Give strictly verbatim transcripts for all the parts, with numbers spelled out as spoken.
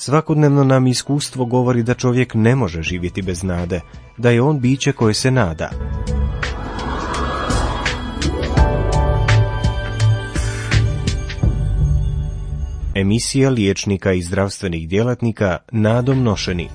Svakodnevno nam iskustvo govori da čovjek ne može živjeti bez nade, da je on biće koje se nada. Emisija liječnika i zdravstvenih djelatnika Nadom nošeni.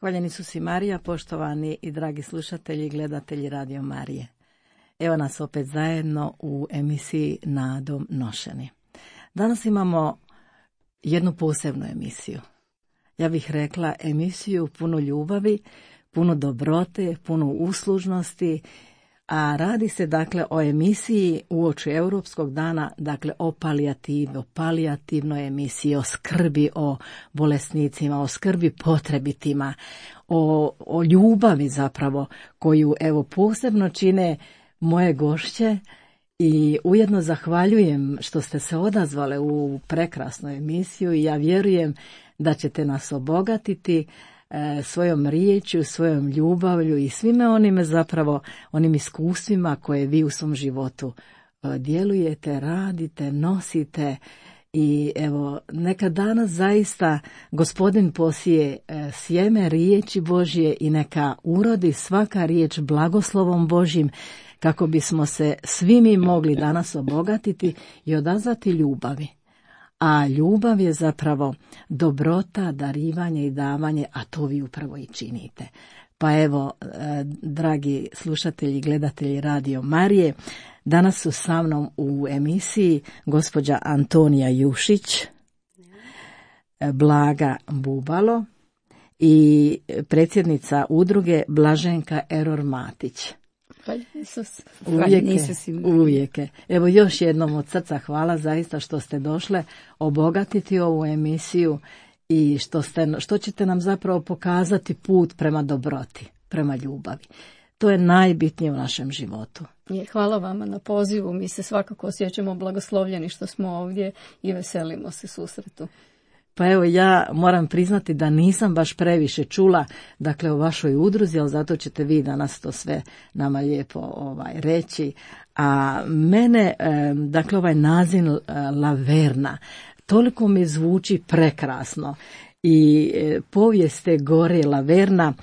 Hvaljeni su si Marija, poštovani i dragi slušatelji i gledatelji Radio Marije. Evo nas opet zajedno u emisiji Nadom nošeni. Danas imamo jednu posebnu emisiju. Ja bih rekla emisiju puno ljubavi, puno dobrote, puno uslužnosti, a radi se dakle o emisiji uoči Europskog dana, dakle o palijativi, o palijativnoj emisiji, o skrbi o bolesnicima, o skrbi potrebitima, o, o ljubavi zapravo koju evo posebno čine moje gošće i ujedno zahvaljujem što ste se odazvale u prekrasnu emisiju i ja vjerujem da ćete nas obogatiti e, svojom riječju, svojom ljubavlju i svime onime zapravo, onim iskustvima koje vi u svom životu e, djelujete, radite, nosite. I evo, neka danas zaista Gospodin posije e, sjeme riječi Božje i neka urodi svaka riječ blagoslovom Božjim, kako bismo se svi mi mogli danas obogatiti i odazvati ljubavi. A ljubav je zapravo dobrota, darivanje i davanje, a to vi upravo i činite. Pa evo, e, dragi slušatelji i gledatelji Radio Marije, danas su sa mnom u emisiji gospođa Antonija Jušić, Blaga Bubalo i predsjednica udruge Blaženka Eror Matić. Hvaljen Isus. Uvijek, uvijek. Evo još jednom od srca hvala zaista što ste došle obogatiti ovu emisiju i što, ste, što ćete nam zapravo pokazati put prema dobroti, prema ljubavi. To je najbitnije u našem životu. Je, hvala vama na pozivu. Mi se svakako osjećamo blagoslovljeni što smo ovdje i veselimo se susretu. Pa evo, ja moram priznati da nisam baš previše čula, dakle, o vašoj udruzi, ali zato ćete vi danas to sve nama lijepo ovaj, reći. A mene, dakle, ovaj naziv Laverna, toliko mi zvuči prekrasno i povijest te gore Laverna,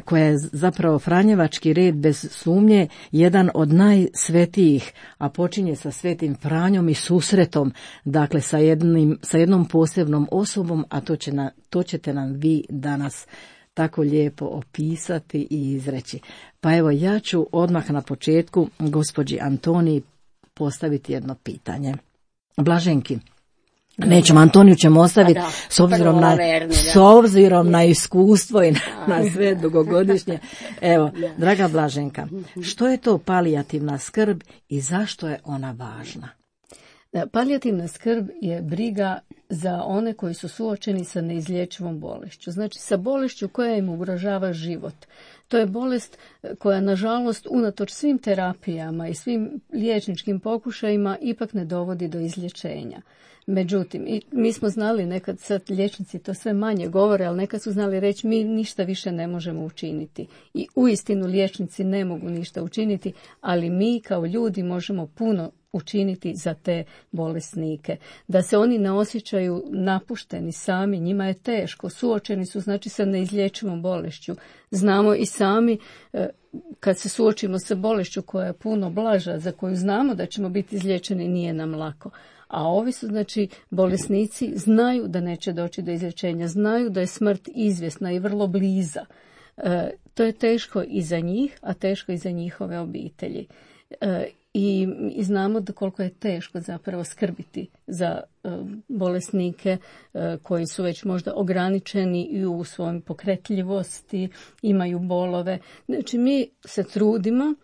koja je zapravo franjevački red bez sumnje jedan od najsvetijih, a počinje sa svetim Franjom i susretom, dakle sa, jednim, sa jednom posebnom osobom, a to, će na, to ćete nam vi danas tako lijepo opisati i izreći. Pa evo, ja ću odmah na početku gospođi Antoniji postaviti jedno pitanje. Blaženki, nećemo, Antoniju ćemo ostaviti da, s obzirom, na, verni, s obzirom na iskustvo i na, na sve dugogodišnje. Evo, draga Blaženka, što je to palijativna skrb i zašto je ona važna? Palijativna skrb je briga za one koji su suočeni sa neizlječivom bolešću. Znači sa bolešću koja im ugrožava život. To je bolest koja, nažalost, unatoč svim terapijama i svim liječničkim pokušajima ipak ne dovodi do izlječenja. Međutim, i mi smo znali nekad, sad liječnici to sve manje govore, ali nekad su znali reći mi ništa više ne možemo učiniti. I uistinu liječnici ne mogu ništa učiniti, ali mi kao ljudi možemo puno učiniti za te bolesnike. Da se oni ne osjećaju napušteni sami, njima je teško, suočeni su znači sa neizlječivom bolešću. Znamo i sami kad se suočimo sa bolešću koja je puno blaža, za koju znamo da ćemo biti izliječeni, nije nam lako. A ovi su, znači, bolesnici znaju da neće doći do izlječenja, znaju da je smrt izvjesna i vrlo bliza. E, to je teško i za njih, a teško i za njihove obitelji. E, i, i znamo da koliko je teško zapravo skrbiti za e, bolesnike e, koji su već možda ograničeni i u svojoj pokretljivosti, imaju bolove. Znači, mi se trudimo,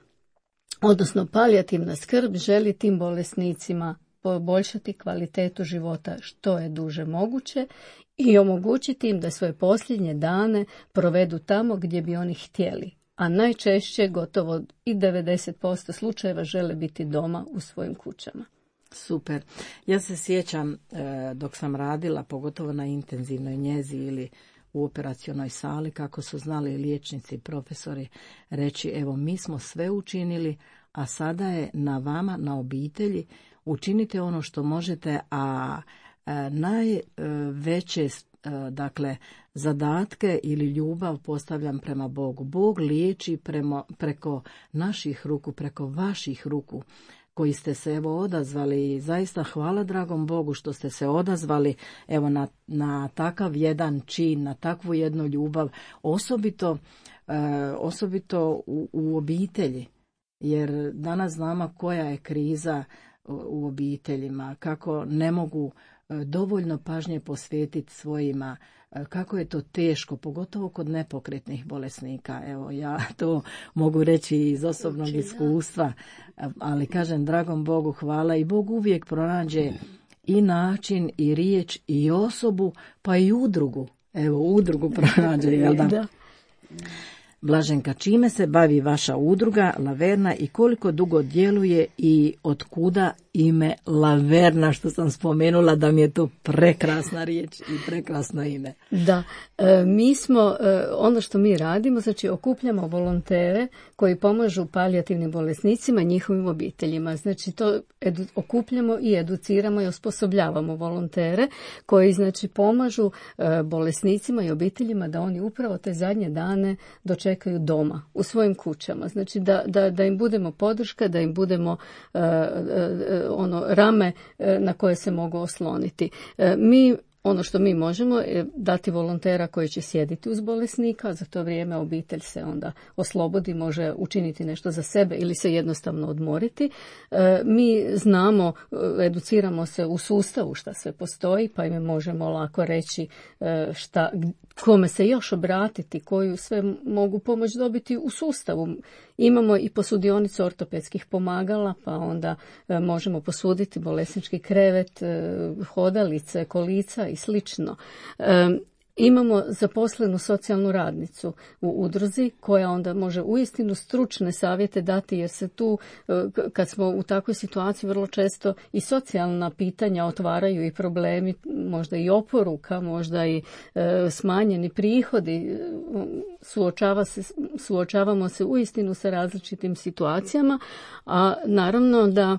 odnosno palijativna skrb želi tim bolesnicima poboljšati kvalitetu života što je duže moguće i omogućiti im da svoje posljednje dane provedu tamo gdje bi oni htjeli. A najčešće, gotovo i devedeset posto slučajeva, žele biti doma u svojim kućama. Super. Ja se sjećam dok sam radila, pogotovo na intenzivnoj njezi ili u operacionoj sali, kako su znali liječnici i profesori reći, evo mi smo sve učinili, a sada je na vama, na obitelji, učinite ono što možete, a najveće dakle zadatke ili ljubav postavljam prema Bogu. Bog liječi prema, preko naših ruku, preko vaših ruku koji ste se evo odazvali. Zaista hvala dragom Bogu što ste se odazvali evo na, na takav jedan čin, na takvu jednu ljubav, osobito, e, osobito u, u obitelji. Jer danas znamo koja je kriza u obiteljima, kako ne mogu dovoljno pažnje posvetiti svojima, kako je to teško, pogotovo kod nepokretnih bolesnika. Evo, ja to mogu reći iz osobnog iskustva, ali kažem, dragom Bogu hvala i Bog uvijek pronađe i način, i riječ, i osobu, pa i udrugu. Evo, udrugu pronađe, jel da? Da. Blaženka, čime se bavi vaša udruga Laverna i koliko dugo djeluje i od kuda ime Laverna, što sam spomenula da mi je to prekrasna riječ i prekrasno ime. Da, e, mi smo, e, ono što mi radimo, znači okupljamo volontere koji pomažu palijativnim bolesnicima i njihovim obiteljima. Znači to edu, okupljamo i educiramo i osposobljavamo volontere koji znači pomažu e, bolesnicima i obiteljima da oni upravo te zadnje dane dočekaju doma, u svojim kućama. Znači da, da, da im budemo podrška, da im budemo e, e, ono rame na koje se mogu osloniti. Mi ono što mi možemo je dati volontera koji će sjediti uz bolesnika, za to vrijeme obitelj se onda oslobodi, može učiniti nešto za sebe ili se jednostavno odmoriti. Mi znamo, educiramo se u sustavu šta sve postoji, pa im možemo lako reći šta, kome se još obratiti, koju sve mogu pomoć dobiti u sustavu. Imamo i posudionicu ortopedskih pomagala, pa onda možemo posuditi bolesnički krevet, hodalice, kolica i slično. Imamo zaposlenu socijalnu radnicu u udruzi koja onda može uistinu stručne savjete dati, jer se tu, kad smo u takvoj situaciji, vrlo često i socijalna pitanja otvaraju i problemi, možda i oporuka, možda i e, smanjeni prihodi. Suočava se, suočavamo se uistinu sa različitim situacijama, a naravno da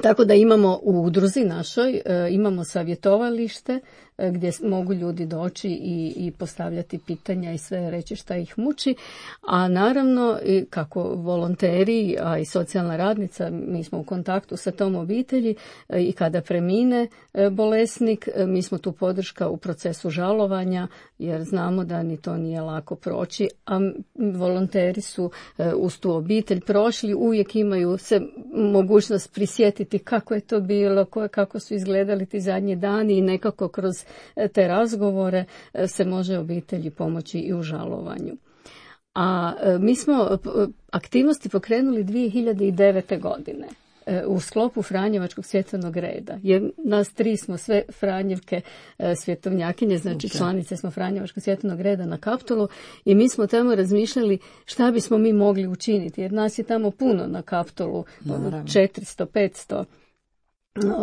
tako da imamo u udruzi našoj, imamo savjetovalište gdje mogu ljudi doći i, i postavljati pitanja i sve reći šta ih muči, a naravno i kako volonteri, a i socijalna radnica, mi smo u kontaktu sa tom obitelji i kada premine bolesnik, mi smo tu podrška u procesu žalovanja, jer znamo da ni to nije lako proći, a volonteri su uz tu obitelj prošli, uvijek imaju se mogućnost prisjetiti kako je to bilo, kako su izgledali ti zadnji dani i nekako kroz te razgovore se može obitelji pomoći i u žalovanju. A mi smo aktivnosti pokrenuli dvije hiljade devete. godine u sklopu Franjevačkog svjetovnog reda. Jer nas tri smo sve Franjevke svjetovnjakinje, znači okay. članice smo Franjevačkog svjetovnog reda na Kaptolu i mi smo tamo razmišljali šta bismo mi mogli učiniti, jer nas je tamo puno na Kaptolu, četiristo, petsto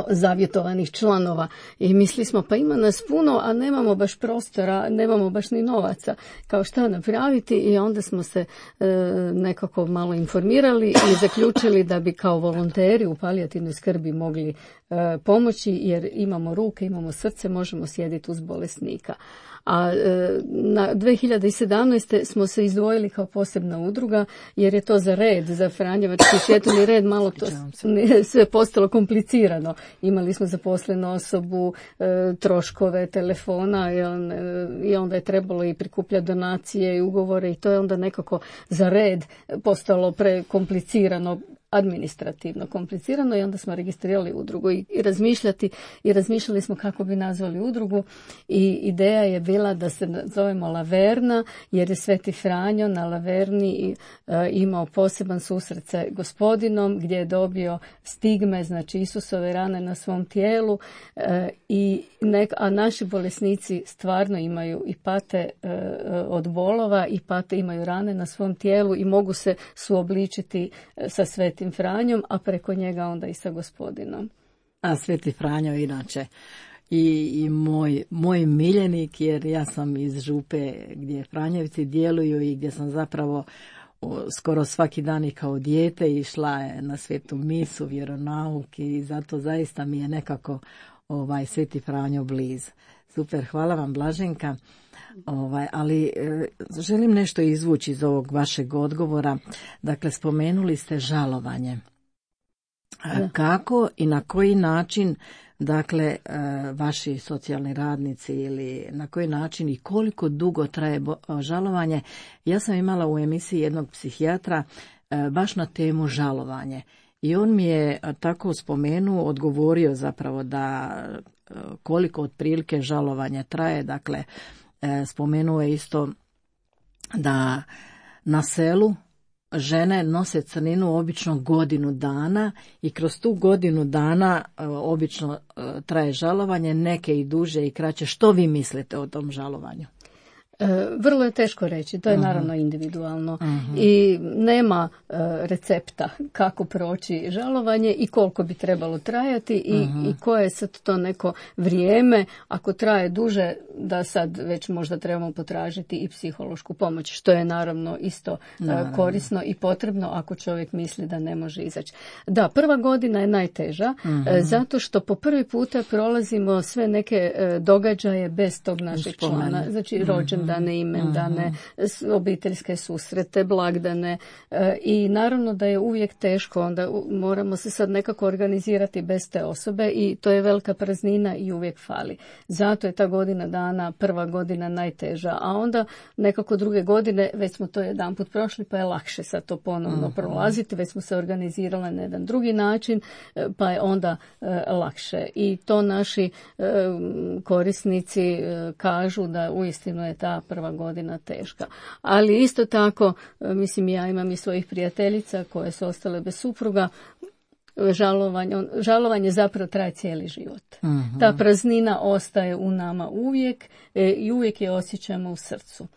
zavjetovanih članova i mislili smo pa ima nas puno, a nemamo baš prostora, nemamo baš ni novaca kao šta napraviti i onda smo se e, nekako malo informirali i zaključili da bi kao volonteri u palijativnoj skrbi mogli e, pomoći, jer imamo ruke, imamo srce, možemo sjediti uz bolesnika. A e, na dvije hiljade sedamnaeste. smo se izdvojili kao posebna udruga, jer je to za red, za Franjevački svjetovni red malo to sve postalo komplicirano. Imali smo zaposlenu osobu, e, troškove telefona jel, e, i onda je trebalo i prikupljati donacije i ugovore i to je onda nekako za red postalo prekomplicirano, administrativno komplicirano i onda smo registrirali udrugu i, i razmišljati i razmišljali smo kako bi nazvali udrugu i ideja je bila da se zovemo Laverna, jer je Sveti Franjo na Laverni e, imao poseban susret sa Gospodinom gdje je dobio stigme, znači Isusove rane na svom tijelu e, i nek, a naši bolesnici stvarno imaju i pate e, od bolova i pate, imaju rane na svom tijelu i mogu se suobličiti sa Svetim Franjom, a preko njega onda i sa Gospodinom. A Sveti Franjo inače i, i moj, moj miljenik, jer ja sam iz Župe gdje Franjevci djeluju i gdje sam zapravo o, skoro svaki dan i kao dijete išla na svetu misu, vjeronauk i zato zaista mi je nekako ovaj Sveti Franjo bliz. Super, hvala vam Blaženka. Ovaj, ali e, želim nešto izvući iz ovog vašeg odgovora. Dakle, spomenuli ste žalovanje. Da. Kako i na koji način, dakle, e, vaši socijalni radnici ili na koji način i koliko dugo traje bo, žalovanje? Ja sam imala u emisiji jednog psihijatra e, baš na temu žalovanje. I on mi je tako spomenuo, odgovorio zapravo da e, koliko otprilike žalovanje traje, dakle, spomenuo je isto da na selu žene nose crninu obično godinu dana i kroz tu godinu dana obično traje žalovanje, neke i duže i kraće. Što vi mislite o tom žalovanju? Vrlo je teško reći, to je uh-huh. naravno individualno uh-huh. i nema uh, recepta kako proći žalovanje i koliko bi trebalo trajati i, uh-huh. i koje je sad to neko vrijeme, ako traje duže da sad već možda trebamo potražiti i psihološku pomoć, što je naravno isto uh, korisno i potrebno ako čovjek misli da ne može izaći. Da, prva godina je najteža uh-huh. uh, zato što po prvi puta prolazimo sve neke uh, događaje bez tog našeg člana, znači rođendan, rođendane, imendane, obiteljske susrete, blagdane i naravno da je uvijek teško, onda moramo se sad nekako organizirati bez te osobe i to je velika praznina i uvijek fali. Zato je ta godina dana, prva godina najteža, a onda nekako druge godine, već smo to jedanput prošli pa je lakše sad to ponovno uh-huh. prolaziti, već smo se organizirali na jedan drugi način pa je onda e, lakše. I to naši e, korisnici e, kažu da uistinu je ta prva godina teška. Ali isto tako, e, mislim ja imam i svojih prijateljica koje su ostale bez supruga, žalovanje, žalovanje zapravo traje cijeli život. Uh-huh. Ta praznina ostaje u nama uvijek e, i uvijek je osjećamo u srcu.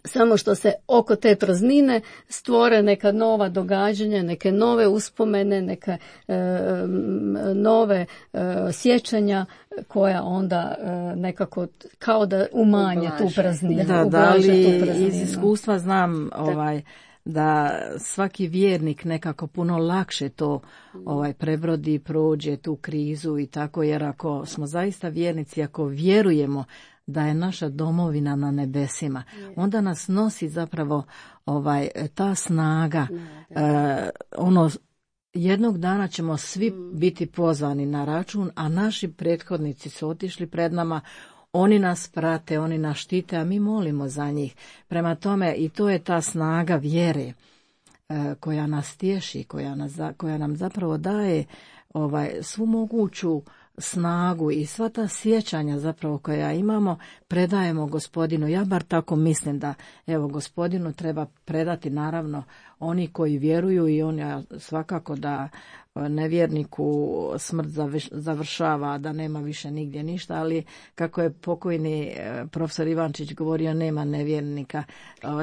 Samo što se oko te praznine stvore neka nova događanja, neke nove uspomene, neke e, nove e, sjećanja koja onda e, nekako kao da umanje ublaže tu prazninu. Da, da, ali iz iskustva znam ovaj, da svaki vjernik nekako puno lakše to ovaj, prebrodi, prođe tu krizu i tako, jer ako smo zaista vjernici, ako vjerujemo da je naša domovina na nebesima, onda nas nosi zapravo ovaj ta snaga. E, ono, jednog dana ćemo svi biti pozvani na račun, a naši prethodnici su otišli pred nama, oni nas prate, oni nas štite, a mi molimo za njih. Prema tome, i to je ta snaga vjere e, koja nas tješi, koja, nas, koja nam zapravo daje ovaj, svu moguću snagu i sva ta sjećanja zapravo koja imamo predajemo Gospodinu. Ja bar tako mislim da evo Gospodinu treba predati naravno oni koji vjeruju i on ja, svakako da nevjerniku smrt završava, da nema više nigdje ništa, ali kako je pokojni profesor Ivančić govorio, nema nevjernika.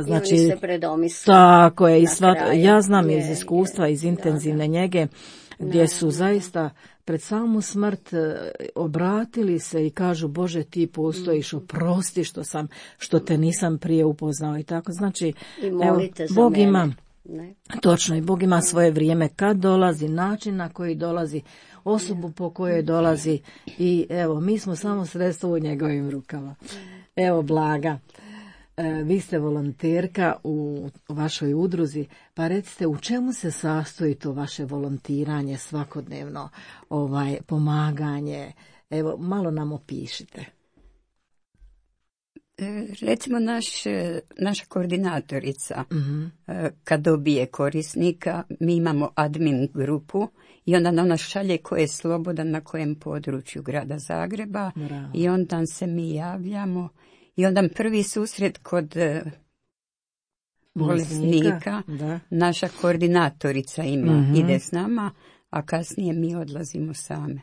Znači, se predomisli. Tako je, i sva, ja znam je, iz iskustva, iz intenzivne da, da. njege, gdje su zaista pred samu smrt obratili se i kažu Bože ti postojiš, oprosti što sam, što te nisam prije upoznao i tako. Znači, evo, Bog ima, ne. Točno, i Bog ima svoje vrijeme kad dolazi, način na koji dolazi, osobu po kojoj dolazi i evo, mi smo samo sredstvo u njegovim rukama. Evo, Blaga, vi ste volonterka u vašoj udruzi, pa recite u čemu se sastoji to vaše volontiranje svakodnevno, ovaj pomaganje, evo malo nam opišite. Recimo naš, naša koordinatorica uh-huh. kad dobije korisnika, mi imamo admin grupu i onda ona šalje ko je slobodan na kojem području grada Zagreba. Bravo. I onda se mi javljamo i onda prvi susret kod bolesnika da. Naša koordinatorica ima, uh-huh. ide s nama, a kasnije mi odlazimo same.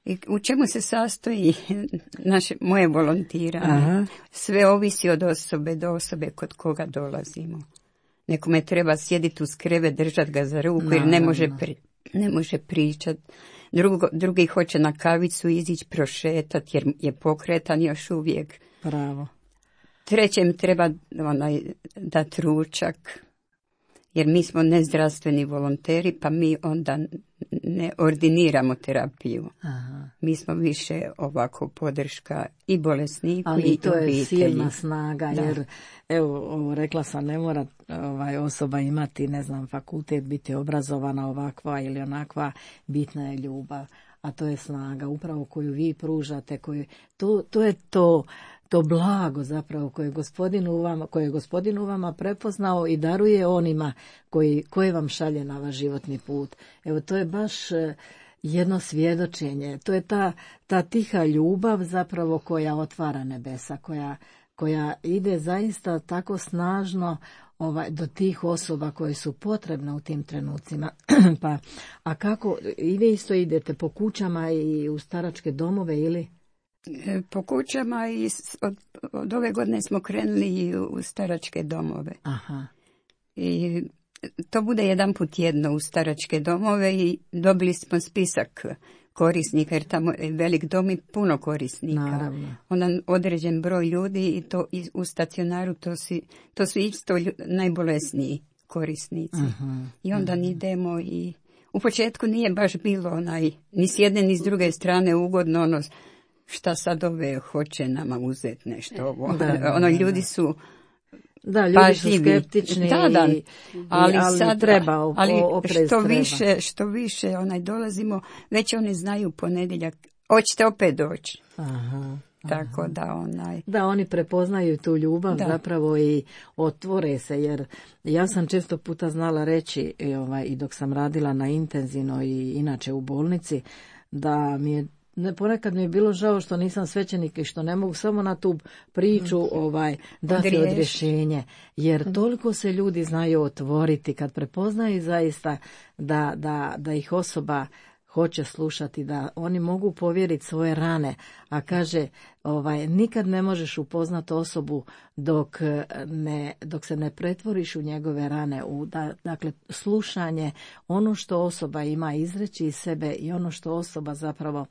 I u čemu se sastoji naše, moje volontiranje? Aha. Sve ovisi od osobe do osobe kod koga dolazimo. Nekome treba sjediti uz krevet, držati ga za ruku, no, jer ne može, pri, ne može pričati. Drugo, drugi hoće na kavicu izići prošetati jer je pokretan još uvijek. Pravo. Trećem treba onaj, dati ručak, jer mi smo nezdravstveni volonteri, pa mi onda ne ordiniramo terapiju. Aha. Mi smo više ovako podrška i bolesniku ali i to obitelji. Je silna snaga, da. Jer evo, rekla sam, ne mora ovaj, osoba imati, ne znam, fakultet, biti obrazovana ovakva ili onakva, bitna je ljubav. A to je snaga upravo koju vi pružate, koju, to, to je to, to blago zapravo koje, gospodin u vama, koje je gospodin u vama prepoznao i daruje onima koji, koje vam šalje na vaš životni put. Evo, to je baš jedno svjedočenje. To je ta, ta tiha ljubav zapravo koja otvara nebesa, koja, koja ide zaista tako snažno ovaj, do tih osoba koje su potrebne u tim trenucima. Pa, a kako, i vi isto idete po kućama i u staračke domove ili? Po kućama i od, od ove godine smo krenuli i u staračke domove. Aha. I to bude jedan put tjedno u staračke domove i dobili smo spisak korisnika, jer tamo je velik dom i puno korisnika. Naravno. Onda određen broj ljudi i to i u stacionaru to su, to su isto ljud, najbolesniji korisnici. Uh-huh. I onda uh-huh. idemo i u početku nije baš bilo onaj, ni s jedne ni s druge strane ugodno, ono, šta sad ove hoće nama uzeti nešto ovo. Da, da, ono, da, ljudi da. su Da, ljudi pažljivi. su skeptični da, da. i, ali, i, ali sad, treba, o, ali oprez što treba. više, što više onaj dolazimo, već oni znaju ponedjeljak, hoćete opet doći. Aha. Tako da onaj... Da, oni prepoznaju tu ljubav da. zapravo i otvore se, jer ja sam često puta znala reći i, ovaj, i dok sam radila na intenzivno i inače u bolnici, da mi je ne, ponekad mi je bilo žao što nisam svećenik i što ne mogu samo na tu priču ovaj, dati Odriješ. odrješenje, jer toliko se ljudi znaju otvoriti kad prepoznaju zaista da, da, da ih osoba hoće slušati, da oni mogu povjeriti svoje rane, a kaže ovaj nikad ne možeš upoznati osobu dok ne dok se ne pretvoriš u njegove rane, u da, dakle slušanje, ono što osoba ima izreći iz sebe i ono što osoba zapravo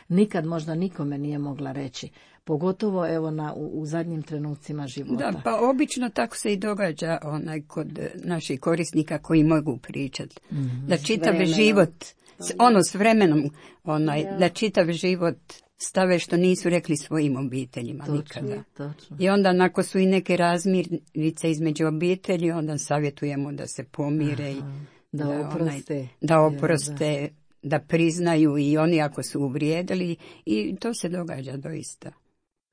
nikad možda nikome nije mogla reći, pogotovo evo na u, u zadnjim trenucima života. Da, pa obično tako se i događa onaj kod naših korisnika koji mogu pričati, mm-hmm. da čitav život ono s vremenom, onaj, ja. da čitav život stave što nisu rekli svojim obiteljima točno, nikada. Točno. I onda nakon su i neke razmirnice između obitelji, onda savjetujemo da se pomire, i da, da oproste, onaj, da, oproste ja, da. da priznaju i oni ako su uvrijedili, i to se događa doista.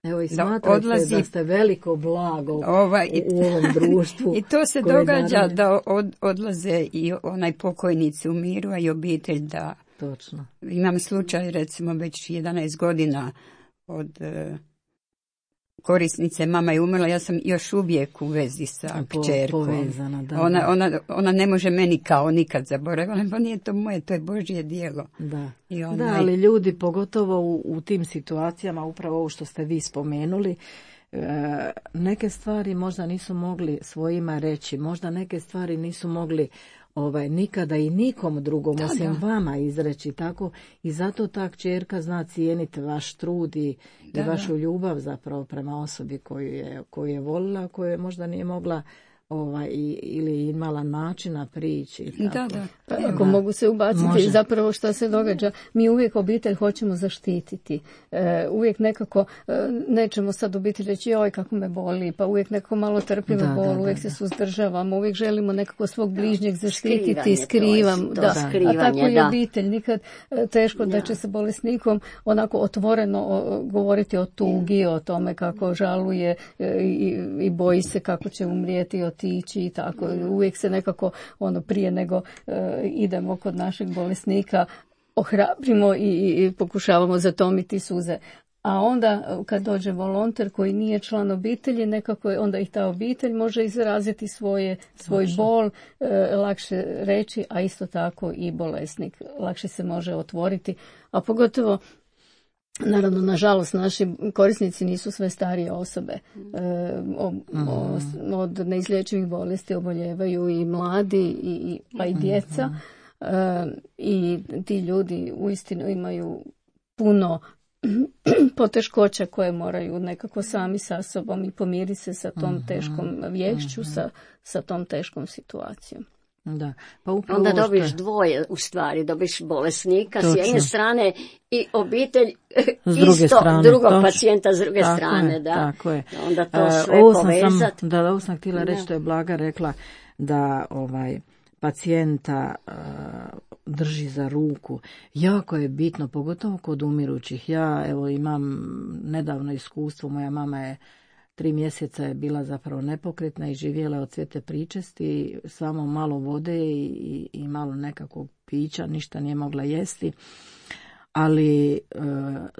Evo i smatrate odlazi, da ste veliko blago ovaj, u ovom društvu. I to se događa naravno, da od, odlaze i onaj pokojnici u miru, a i obitelj da... Točno. Imam slučaj recimo već jedanaest godina od uh, korisnice, mama je umrla, ja sam još uvijek u vezi sa po, kćerkom. Povezana, da, ona, da. Ona, ona ne može meni kao nikad zaboraviti, pa nije to moje, to je Božje djelo. Da, I onaj... da, ali ljudi pogotovo u, u tim situacijama, upravo ovo što ste vi spomenuli, e, neke stvari možda nisu mogli svojima reći, možda neke stvari nisu mogli ovaj nikada i nikom drugom da, osim da. vama izreći, tako i zato ta kćerka zna cijeniti vaš trud i, da, i vašu da. ljubav zapravo prema osobi koju je, koju je volila, koju je možda nije mogla ovaj, ili imala načina prići. Tako. Da, da. Pa ako da. mogu se ubaciti, može. Zapravo što se događa, mi uvijek obitelj hoćemo zaštititi. E, uvijek nekako, e, nećemo sad obitelj reći, joj kako me boli, pa uvijek nekako malo trpimo da, bol, da, uvijek da, se da. suzdržavamo, uvijek želimo nekako svog bližnjeg zaštititi, skrivam. Da. A tako i obitelj, nikad e, teško da. da će se bolesnikom onako otvoreno o, govoriti o tugi, o tome kako žaluje e, i, i boji se kako će umrijeti, otići i tako. Uvijek se nekako ono prije nego e, idemo kod našeg bolesnika ohrabrimo i, i, i pokušavamo zatomiti suze. A onda kad dođe volonter koji nije član obitelji, nekako onda i ta obitelj može izraziti svoje, svoj Točno. bol, e, lakše reći, a isto tako i bolesnik lakše se može otvoriti. A pogotovo naravno, nažalost, naši korisnici nisu sve starije osobe. E, o, o, od neizlječivih bolesti oboljevaju i mladi, i, pa i djeca. E, I ti ljudi uistinu imaju puno poteškoća koje moraju nekako sami sa sobom i pomiriti se sa tom teškom vješću, sa, sa tom teškom situacijom. Da. Pa onda dobiš dvoje, u stvari, dobiš bolesnika Točno. s jedne strane i obitelj s druge isto strane, drugog točno. pacijenta s druge tako strane. Je, da. Tako je. Onda to sve uh, povezati. Da, ovo sam htjela reći, što je Blaga rekla, da ovaj pacijenta uh, drži za ruku. Jako je bitno, pogotovo kod umirućih. Ja evo imam nedavno iskustvo, moja mama je Tri mjeseca je bila zapravo nepokretna i živjela od svete pričesti, samo malo vode i, i, i malo nekakvog pića, ništa nije mogla jesti. Ali e,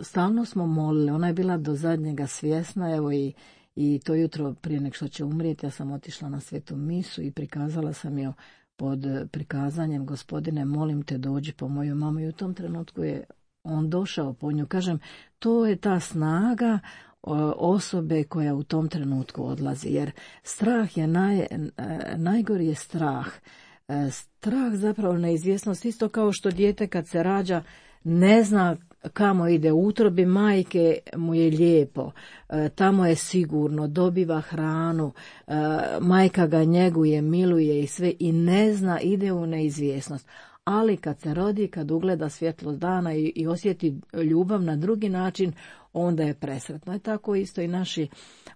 stalno smo molili, ona je bila do zadnjega svjesna, evo i, i to jutro prije nek što će umrijeti, ja sam otišla na svetu misu i prikazala sam joj pod prikazanjem, Gospodine, molim te dođi po moju mamu, i u tom trenutku je on došao po nju. Kažem, to je ta snaga osobe koja u tom trenutku odlazi, jer strah je naj, najgori je strah. Strah zapravo neizvjesnost, isto kao što dijete kad se rađa ne zna kamo ide, u utrobi majke mu je lijepo, tamo je sigurno, dobiva hranu, majka ga njeguje, miluje i sve, i ne zna, ide u neizvjesnost. Ali kad se rodi, kad ugleda svjetlost dana i, i osjeti ljubav na drugi način, onda je presretno. I tako isto i naši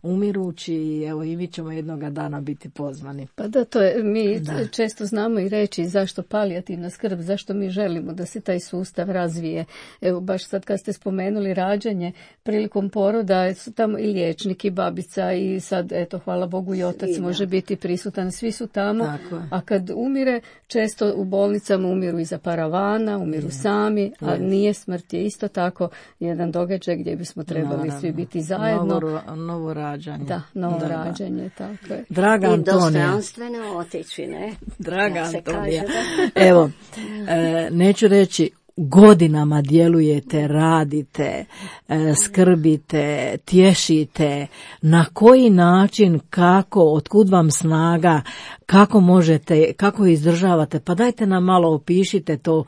umirući, i evo i mi ćemo jednoga dana biti pozvani. Pa da, to je, mi da. često znamo i reći zašto palijativna skrb, zašto mi želimo da se taj sustav razvije. Evo, baš sad kad ste spomenuli rađanje, prilikom poroda su tamo i liječnik i babica i sad, eto, hvala Bogu i otac Svi, može biti prisutan, svi su tamo. Tako. A kad umire, često u bolnicama umiru iza paravana, umiru Je. sami, a Je. nije smrt je isto tako jedan događaj gdje bismo trebali Naravno. svi biti zajedno. Novo, novo rađanje. Da, novo Da, da. rađanje, tako je. Draga I Antonija. dostojanstveno otići, ne? Draga Jak se Antonija. kaže, Evo, e, neću reći, godinama djelujete, radite, e, skrbite, tješite. Na koji način, kako, otkud vam snaga, kako možete, kako izdržavate? Pa dajte nam malo opišite to,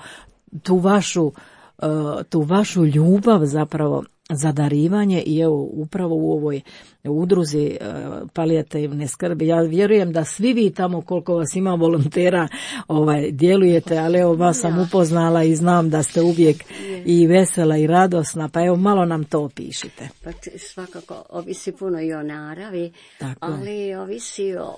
tu vašu, e, tu vašu ljubav zapravo za darivanje i evo upravo u ovoj udruzi e, palijativne skrbi. Ja vjerujem da svi vi tamo koliko vas ima volontera ovaj, djelujete, ali evo vas sam upoznala i znam da ste uvijek i vesela i radosna, pa evo malo nam to opišite. Pa svakako ovisi puno i o naravi, Tako. ali ovisi o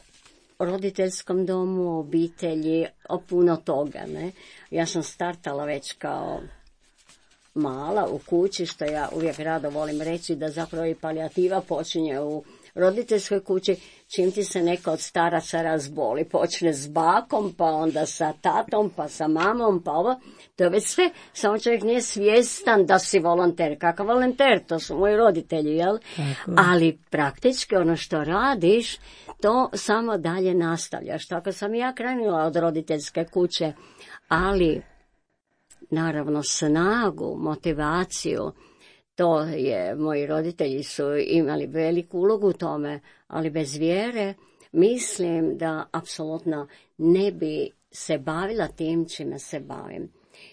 roditeljskom domu, obitelji, o puno toga, ne? Ja sam startala već kao mala u kući, što ja uvijek rado volim reći da zapravo i palijativa počinje u roditeljskoj kući, čim ti se neko od staraca razboli. Počne s bakom, pa onda sa tatom, pa sa mamom, pa ovo. To je već sve, samo čovjek nije svjestan da si volonter. Kakav volonter? To su moji roditelji, jel? Tako. Ali praktički ono što radiš, to samo dalje nastavljaš. Tako sam ja krenula od roditeljske kuće, ali naravno snagu, motivaciju, to je, moji roditelji su imali veliku ulogu u tome, ali bez vjere mislim da apsolutno ne bi se bavila tim čime se bavim.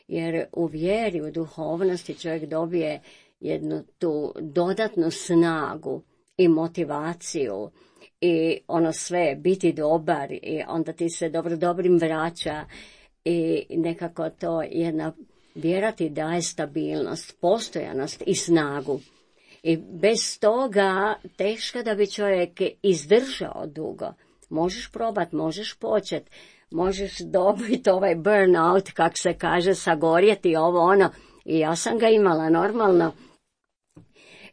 Jer u vjeri, u duhovnosti čovjek dobije jednu tu dodatnu snagu i motivaciju i ono sve, biti dobar i onda ti se dobro dobrim vraća i nekako to jedna vjera ti daje stabilnost, postojanost i snagu. I bez toga teško da bi čovjek izdržao dugo. Možeš probat, možeš počet, možeš dobiti ovaj burnout, kak se kaže, sagorjeti ovo ono. I ja sam ga imala normalno.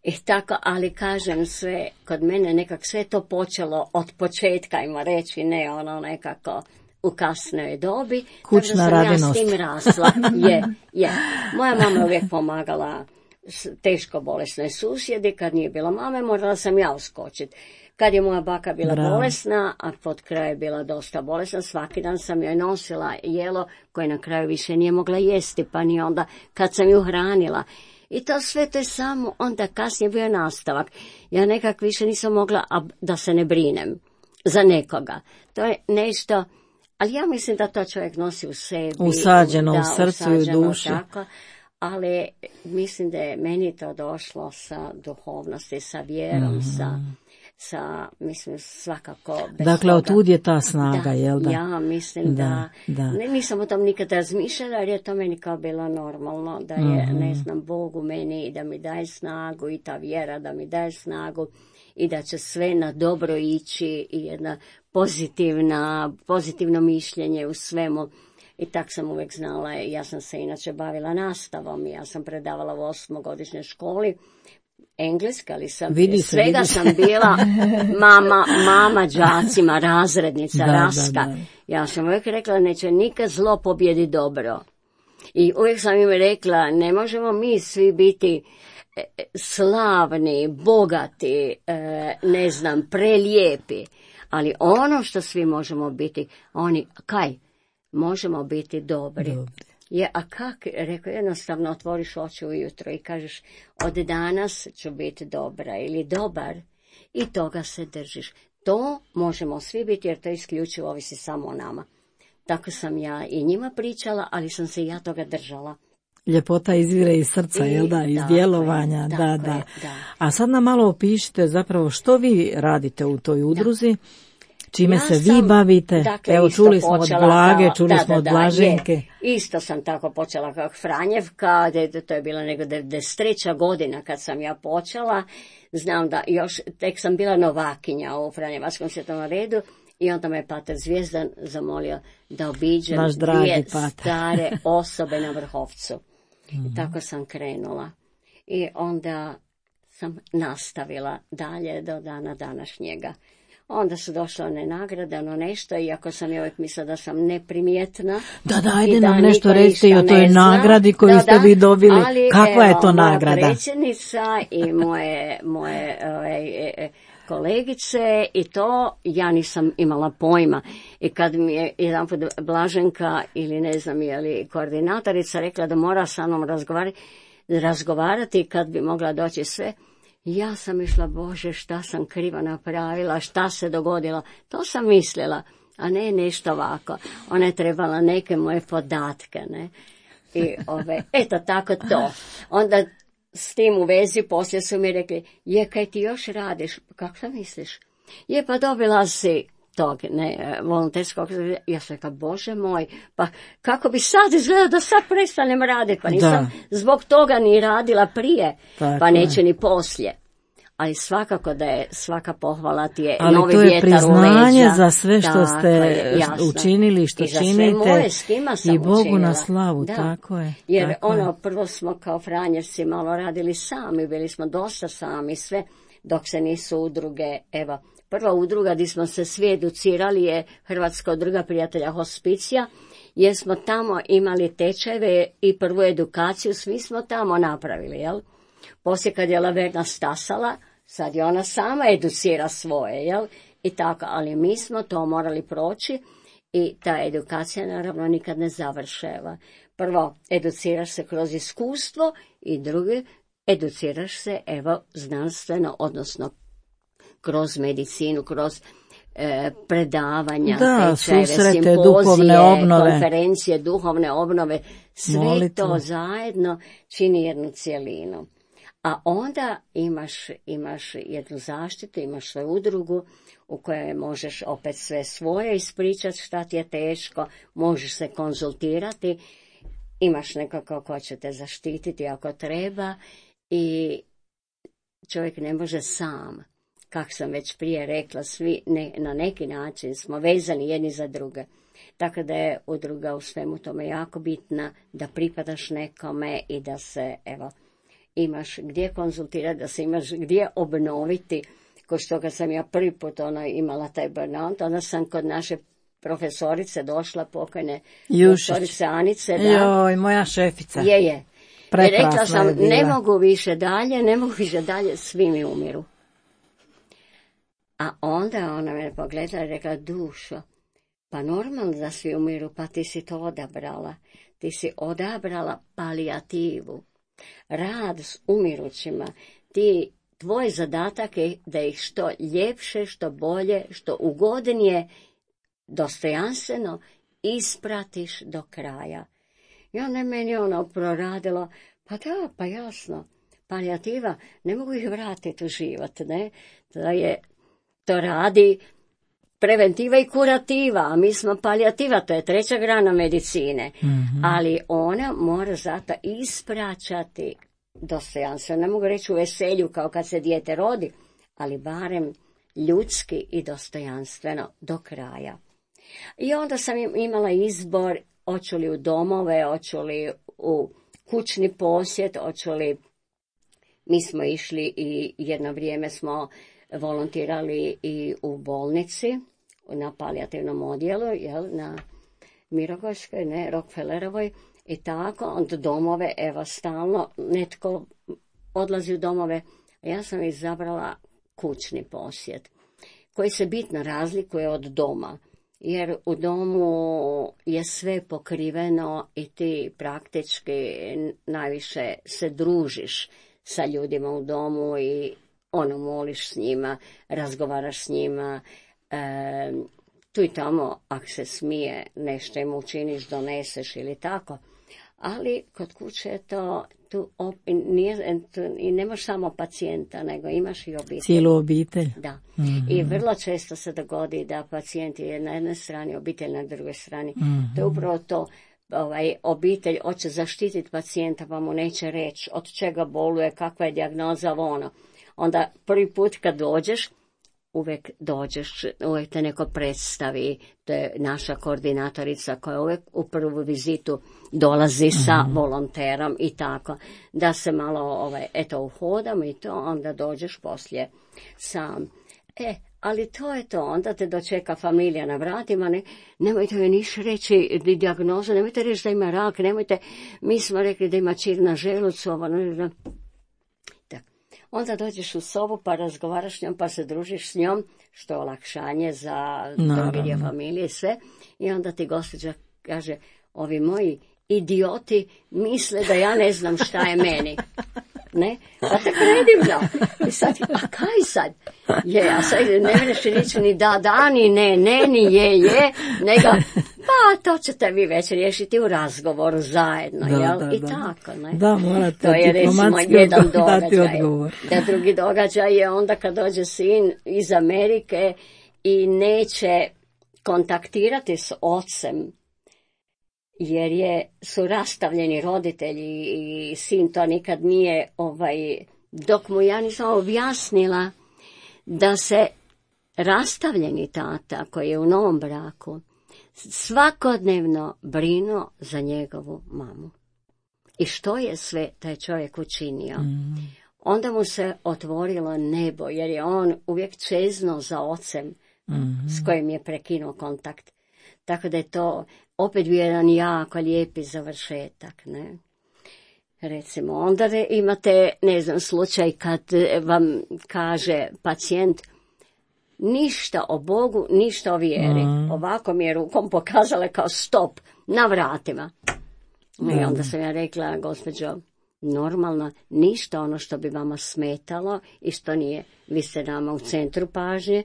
I tako, ali kažem sve, kod mene nekak sve to počelo od početka, ima reći, ne ono nekako u kasnoj dobi. Kućna sam radinost. Ja s tim rasla. Je, je. Moja mama uvijek pomagala teško bolesnoj susjedi, kad nije bilo mame, morala sam ja uskočiti. Kad je moja baka bila Bravo. bolesna, a pod kraj je bila dosta bolesna, svaki dan sam joj nosila jelo koje na kraju više nije mogla jesti, pa ni onda kad sam ju hranila. I to sve to je samo onda kasnije bio nastavak. Ja nekak više nisam mogla a, da se ne brinem za nekoga. To je nešto, ali ja mislim da to čovjek nosi u sebi. Usađeno da, u srcu i u duši. Tako, ali mislim da je meni to došlo sa duhovnosti, sa vjerom, mm. sa, sa, mislim, svakako bez Dakle, toga. otud je ta snaga, Da, jel da? ja mislim Da, da, da. Ne, nisam o tom nikad razmišljala, jer je to meni kao bilo normalno, da je, Mhm. ne znam, Bog u meni i da mi daje snagu i ta vjera da mi daje snagu i da će sve na dobro ići i jedna pozitivna, pozitivno mišljenje u svemu. I tak sam uvijek znala, ja sam se inače bavila nastavom, ja sam predavala u osmogodišnjoj školi, engleska, ali sam Vidi se, svega vidi se. sam bila mama, mama đacima, razrednica, Da, raska. da, da. Ja sam uvijek rekla, neće nikad zlo pobjedi dobro. I uvijek sam im rekla, ne možemo mi svi biti e, slavni, bogati, e, ne znam, prelijepi, ali ono što svi možemo biti, oni, kaj, možemo biti dobri. Dobri. Je, a kak, rekao, jednostavno otvoriš oči ujutro i kažeš, od danas ću biti dobra ili dobar i toga se držiš. To možemo svi biti jer to isključivo ovisi samo o nama. Tako sam ja i njima pričala, ali sam se i ja toga držala. Ljepota izvire iz srca, I, jel da, iz tako djelovanja, je, da, tako da. je, da. A sad nam malo opišite zapravo što vi radite u toj udruzi Čime ja se sam, vi bavite? Dakle, Evo, čuli smo od Blage, kao, čuli da, smo da, od da, Blaženke. Je, isto sam tako počela kao Franjevka, to je bila nego devedeset treća godina kad sam ja počela. Znam da još, tek sam bila novakinja u Franjevačkom svjetovnom redu i onda me pater Zvijezdan zamolio da obiđem dvije stare osobe na Vrhovcu. Mm-hmm. I tako sam krenula. I onda sam nastavila dalje do dana današnjega. Onda su došle one nagrade, ono nešto, iako sam ja uvijek mislila da sam neprimjetna. Da, da, ajde nam nešto recite i o toj nagradi koju da, ste vi dobili. Ali, kakva evo, je to nagrada? Moja predsjednica i moje, moje e, e, kolegice i to ja nisam imala pojma. I kad mi je jedan put Blaženka ili ne znam je li koordinatorica rekla da mora sa mnom razgovarati, razgovarati kad bi mogla doći sve, ja sam išla, Bože, šta sam krivo napravila, šta se dogodilo. To sam mislila, a ne nešto ovako. Ona je trebala neke moje podatke, ne. I ove, eto tako to. Onda s tim u vezi poslije su mi rekli, je, kaj ti još radiš? Kako sam misliš? Je, pa dobila si tog, ne, volonterskog, ja sam rekla, Bože moj, pa kako bi sad izgledao da sad prestanem raditi, pa nisam da. Zbog toga ni radila prije, tako pa neće je. Ni poslije. Ali svakako da je svaka pohvala ti je ali novi vjetar u leđa. Ali to je priznanje za sve što ste je, učinili, što I za činite. Sve moje, s kima sam i Bogu učinila. Na slavu, da. Tako je. Jer tako ono, je. Prvo smo kao Franjevci malo radili sami, bili smo dosta sami, sve, dok se nisu udruge, evo, prva udruga gdje smo se svi educirali je Hrvatska udruga prijatelja hospicija, jer smo tamo imali tečajeve i prvu edukaciju, svi smo tamo napravili, jel? Poslije kad je Laverna stasala, sad je ona sama educira svoje, jel? I tako, ali mi smo to morali proći i ta edukacija naravno nikad ne završeva. Prvo, educiraš se kroz iskustvo i drugi, educiraš se, evo, znanstveno, odnosno kroz medicinu, kroz e, predavanja, da, tečajeve, susrete, simpozije, obnove. konferencije, duhovne obnove, sve Molitvu. To zajedno čini jednu cjelinu. A onda imaš, imaš jednu zaštitu, imaš svoju udrugu u kojoj možeš opet sve svoje ispričati šta ti je teško, možeš se konzultirati, imaš nekako ko će te zaštititi ako treba i čovjek ne može sam. Kako sam već prije rekla, svi ne, na neki način smo vezani jedni za druge. Tako da je udruga u svemu tome jako bitna, da pripadaš nekome i da se, evo, imaš gdje konzultirati, da se imaš gdje obnoviti. Ko što kad sam ja prvi put ona imala taj burnout, onda sam kod naše profesorice došla, pokojne profesorice Anice. Da, joj, moja šefica. Je, je. I rekla sam, je ne mogu više dalje, ne mogu više dalje, svi mi umiru. A onda ona me pogledala i rekla, dušo, pa normalno da svi umiru, pa ti si to odabrala. Ti si odabrala palijativu. Rad s umirućima. Ti, tvoj zadatak je da ih što ljepše, što bolje, što ugodnije, dostojanstveno ispratiš do kraja. I onda je meni ono proradilo, pa da, pa jasno, palijativa, ne mogu ih vratiti u život, ne? Da je, to radi preventiva i kurativa, a mi smo palijativa, to je treća grana medicine, mm-hmm. ali ona mora zato ispraćati dostojanstveno, ne mogu reći u veselju kao kad se dijete rodi, ali barem ljudski i dostojanstveno do kraja. I onda sam imala izbor, hoću li u domove, hoću li u kućni posjet, hoću li, mi smo išli i jedno vrijeme smo volontirali i u bolnici, na palijativnom odjelu, jel, na Mirogojskoj, ne, Rockefellerovoj, i tako, onda domove, evo, stalno, netko odlazi u domove, a ja sam izabrala kućni posjet, koji se bitno razlikuje od doma, jer u domu je sve pokriveno i ti praktički najviše se družiš sa ljudima u domu i ono, moliš s njima, razgovaraš s njima, e, tu i tamo, ako se smije, nešto im učiniš, doneseš ili tako. Ali kod kuće je to tu op, nije, tu, i nemaš samo pacijenta, nego imaš i obitelj. Cijelu obitelj. Da. Mm-hmm. I vrlo često se dogodi da pacijent je na jednoj strani, obitelj na drugoj strani. Mm-hmm. To je upravo to. Ovaj, obitelj hoće zaštititi pacijenta, pa mu neće reći od čega boluje, kakva je dijagnoza, ono. Onda prvi put kad dođeš, uvijek dođeš, uvijek te neko predstavi, to je naša koordinatorica koja uvijek u prvu vizitu dolazi sa mm-hmm. volonterom i tako, da se malo, ovaj, eto, uhodamo i to, onda dođeš poslije sam. E, ali to je to, onda te dočeka familija na vratima, ne, nemojte joj niš reći dijagnozu, nemojte reći da ima rak, nemojte, mi smo rekli da ima čir na želucu, ovo, ne, tak. Onda dođeš u sobu pa razgovaraš s njom, pa se družiš s njom, što je olakšanje za drugi dio familije i sve, i onda ti gospođa kaže, ovi moji idioti misle da ja ne znam šta je meni. Ne? Pa tako predivno. I sad, a kaj sad? Je, a sad ne vreš reći ni da, da, ni ne, ne, ni je, je, nego, pa to ćete vi već riješiti u razgovoru zajedno, da, jel? Da, I da. Tako, ne? Da, morate to je recimo jedan događaj. Odgovor. Da, drugi događaj je onda kad dođe sin iz Amerike i neće kontaktirati s ocem, jer je, su rastavljeni roditelji i sin to nikad nije, ovaj, dok mu ja nisam objasnila da se rastavljeni tata koji je u novom braku svakodnevno brinuo za njegovu mamu. I što je sve taj čovjek učinio? Mm. Onda mu se otvorilo nebo, jer je on uvijek čezno za ocem mm. s kojim je prekinuo kontakt. Tako da je to opet bio jedan jako lijepi završetak, ne? Recimo, onda imate, ne znam, slučaj kad vam kaže pacijent ništa o Bogu, ništa o vjeri. Mm. Ovako mi je rukom pokazala kao stop, na vratima. Mm. I onda sam ja rekla, gospođo, normalno, ništa ono što bi vama smetalo i što nije. Vi ste nama u centru pažnje,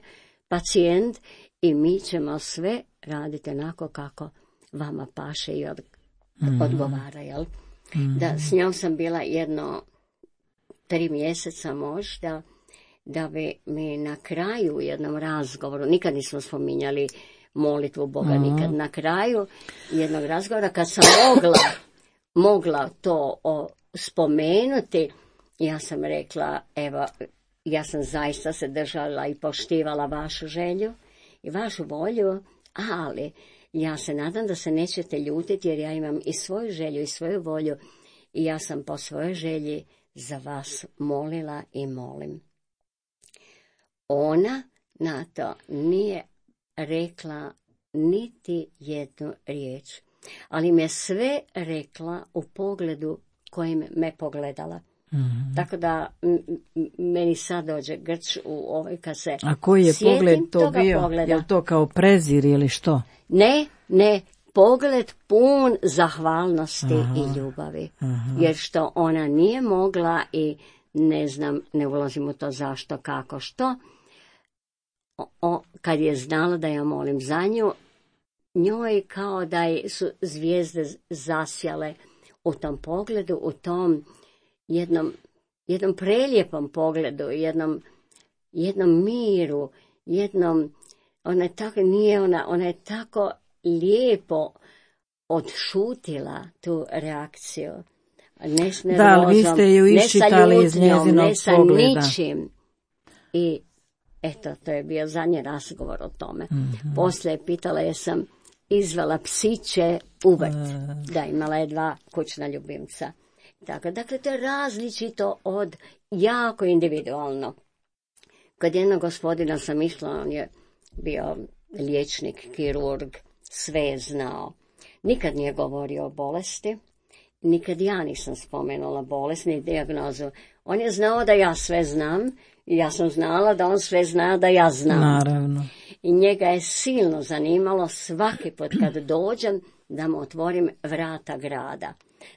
pacijent, i mi ćemo sve raditi onako kako vama paše i od, mm. odgovara, jel? Mm. Da, s njom sam bila jedno tri mjeseca možda, da bi mi na kraju u jednom razgovoru, nikad nismo spominjali molitvu Boga, mm. nikad, na kraju jednog razgovora kad sam mogla, mogla to o, spomenuti, ja sam rekla, evo, ja sam zaista se držala i poštivala vašu želju i vašu volju, ali ja se nadam da se nećete ljutiti jer ja imam i svoju želju i svoju volju i ja sam po svojoj želji za vas molila i molim. Ona na to nije rekla niti jednu riječ, ali mi je sve rekla u pogledu kojim me pogledala. Mm-hmm. Tako da m- m- meni sad dođe grč u ovoj kad se A koji je pogled to bio? Pogleda. Je li to kao prezir ili što? Ne, ne, pogled pun zahvalnosti aha, i ljubavi. Aha. Jer što ona nije mogla i ne znam, ne ulazim u to zašto, kako, što. O, o, kad je znala da ja molim za nju, njoj kao da su zvijezde zasjale u tom pogledu, u tom jednom, jednom prelijepom pogledu, jednom, jednom miru, jednom, ona je tako, nije ona, ona je tako lijepo odšutila tu reakciju. Ne s nervozom, da, ali vi ste ju iščitali iz njezinog ne sa pogleda. Ničim. I eto, to je bio zadnji razgovor o tome. Mm-hmm. Poslije pitala je sam izvela psiće u vrt, mm. da imala je dva kućna ljubimca. Tako, dakle, to je različito od jako individualno. Kod jednog gospodina sam išla, on je bio liječnik, kirurg, sve je znao. Nikad nije govorio o bolesti, nikad ja nisam spomenula bolest, ni dijagnozu. On je znao da ja sve znam i ja sam znala da on sve zna da ja znam. Naravno. I njega je silno zanimalo svaki put kad dođem da mu otvorim vrata grada.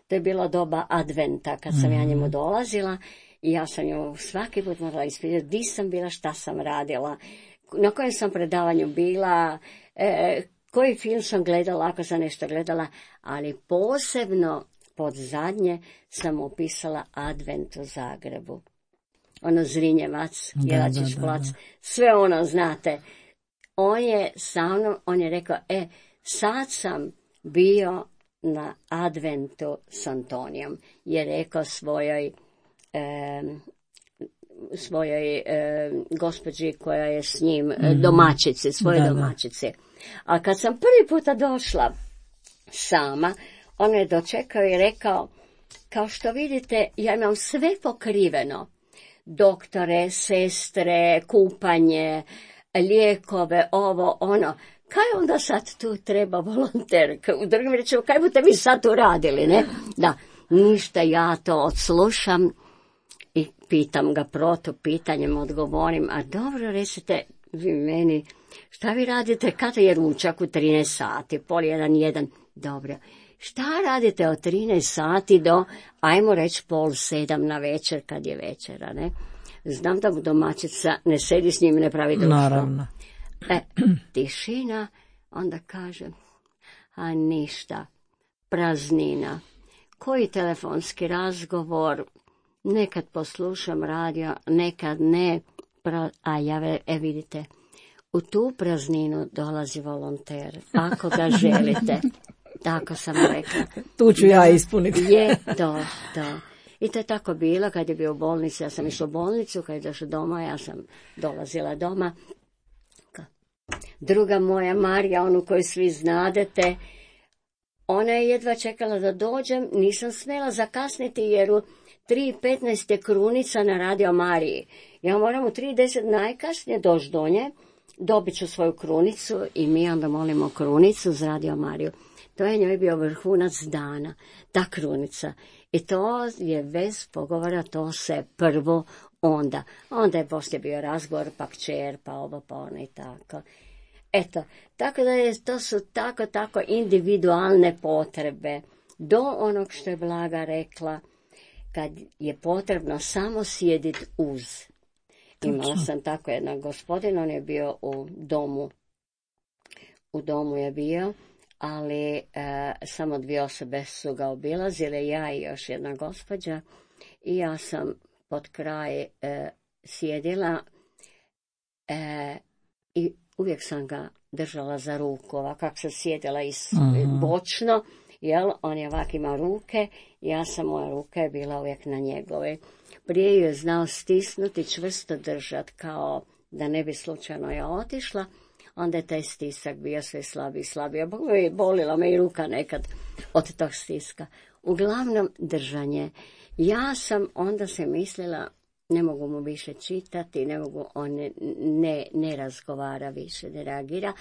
To je bilo doba adventa kad sam mm-hmm. ja njemu dolazila i ja sam nju svaki put morala ispitati di sam bila, šta sam radila, na kojem sam predavanju bila, e, koji film sam gledala, ako sam nešto gledala, ali posebno, pod zadnje sam upisala Advent u Zagrebu. Ono Zrinjevac, Jelačić plac, sve ono, znate. On je sa mnom, on je rekao, e, sad sam bio na Adventu s Antonijom, je rekao svojoj e, svojoj e, gospođi koja je s njim, mm-hmm. domaćici, svoje da, domaćice. A kad sam prvi puta došla sama, on je dočekao i rekao, kao što vidite, ja imam sve pokriveno. Doktore, sestre, kupanje, lijekove, ovo, ono. Kaj onda sad tu treba volonterka? U drugim rečima, kaj budete vi sad tu radili, ne? Da, ništa, ja to odslušam i pitam ga protu pitanjem, odgovorim, a dobro, recite vi meni, šta vi radite kada je ručak u trinaest sati, pol jedan, jedan, dobro. Šta radite od trinaest sati do, ajmo reći, pol sedam na večer, kad je večera, ne? Znam da mu domaćica ne sedi s njim, ne pravi društvo. Naravno. E, tišina, onda kaže, a ništa, praznina. Koji telefonski razgovor, nekad poslušam radio, nekad ne, pra, a ja, e vidite, u tu prazninu dolazi volonter, ako ga želite. Tako sam rekla. Tu ću ja ispuniti. Je to, to. I to je tako bilo kad je bio u bolnici. Ja sam išla u bolnicu, kad je došla doma, ja sam dolazila doma. Druga moja Marija, onu koju svi znadete, ona je jedva čekala da dođem, nisam smjela zakasniti jer u tri petnaest je krunica na Radio Mariji. Ja moram u tri deset najkasnije doći do nje, dobit ću svoju krunicu i mi onda molimo krunicu za Radio Mariju. To je njoj bio vrhunac dana, ta krunica. I to je bez pogovora, to se prvo onda. Onda je poslije bio razgovor, pa kćer, pa ovo, pa ono i tako. Eto, tako da je, to su tako, tako individualne potrebe. Do onog što je Blaga rekla, kad je potrebno samo sjediti uz. Imala sam tako jedan gospodin, on je bio u domu, u domu je bio, ali e, samo dvije osobe su ga obilazile, ja i još jedna gospođa, i ja sam pod kraj e, sjedila e, i uvijek sam ga držala za ruku, ovako kako sam sjedila iz, uh-huh. bočno, jel, on je ovak ima ruke, ja sam, moja ruka je bila uvijek na njegove. Prije ju je znao stisnuti, čvrsto držati, kao da ne bi slučajno ja otišla, onda je taj stisak bio sve slabiji i slabiji. Bolila me i ruka nekad od tog stiska. Uglavnom držanje. Ja sam onda se mislila, ne mogu mu više čitati, ne mogu, on ne, ne, ne razgovara više, ne reagira,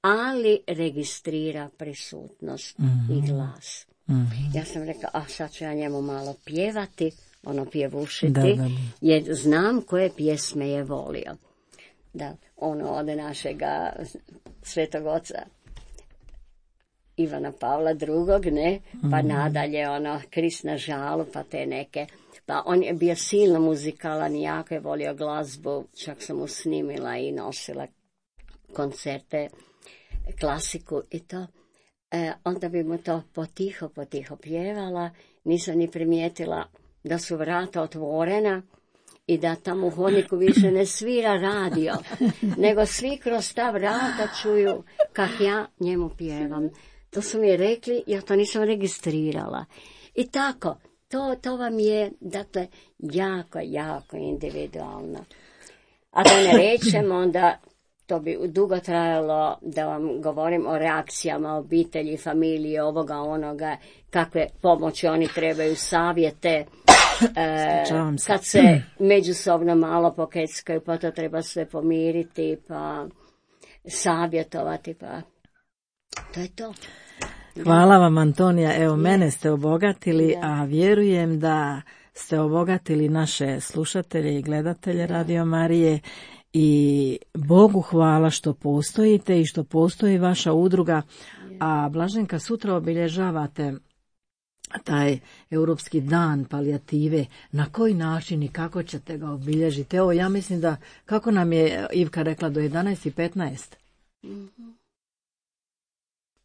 ali registrira prisutnost mm-hmm. i glas. Mm-hmm. Ja sam rekla, a sad ću ja njemu malo pjevati, ono pjevušiti, da, da, da. Jer znam koje pjesme je volio. Da, ono od našega svetog oca Ivana Pavla drugog, ne, pa mm. nadalje ono Krist na žalu, pa te neke, pa on je bio silno muzikalan i jako je volio glazbu, čak sam mu snimila i nosila koncerte, klasiku i to, e, onda bi mu to potiho, potiho pjevala, nisam ni primijetila da su vrata otvorena, i da tamo u hodniku više ne svira radio, nego svi kroz ta vrata čuju kak ja njemu pjevam. To su mi rekli, ja to nisam registrirala. I tako, to, to vam je, dakle, jako, jako individualno. A da ne rečem, onda to bi dugo trajalo da vam govorim o reakcijama obitelji, familije, ovoga, onoga, kakve pomoći oni trebaju, savjete. E, kad se međusobno malo pokeckaju, pa to treba sve pomiriti, pa savjetovati, pa to je to. Hvala vam, Antonija. Evo, mene ste obogatili, da. A vjerujem da ste obogatili naše slušatelje i gledatelje Radio Marije i Bogu hvala što postojite i što postoji vaša udruga. A Blaženka, sutra obilježavate taj Europski dan palijative. Na koji način i kako ćete ga obilježiti? Evo, ja mislim da, kako nam je Ivka rekla, do jedanaest i petnaest? Mm-hmm.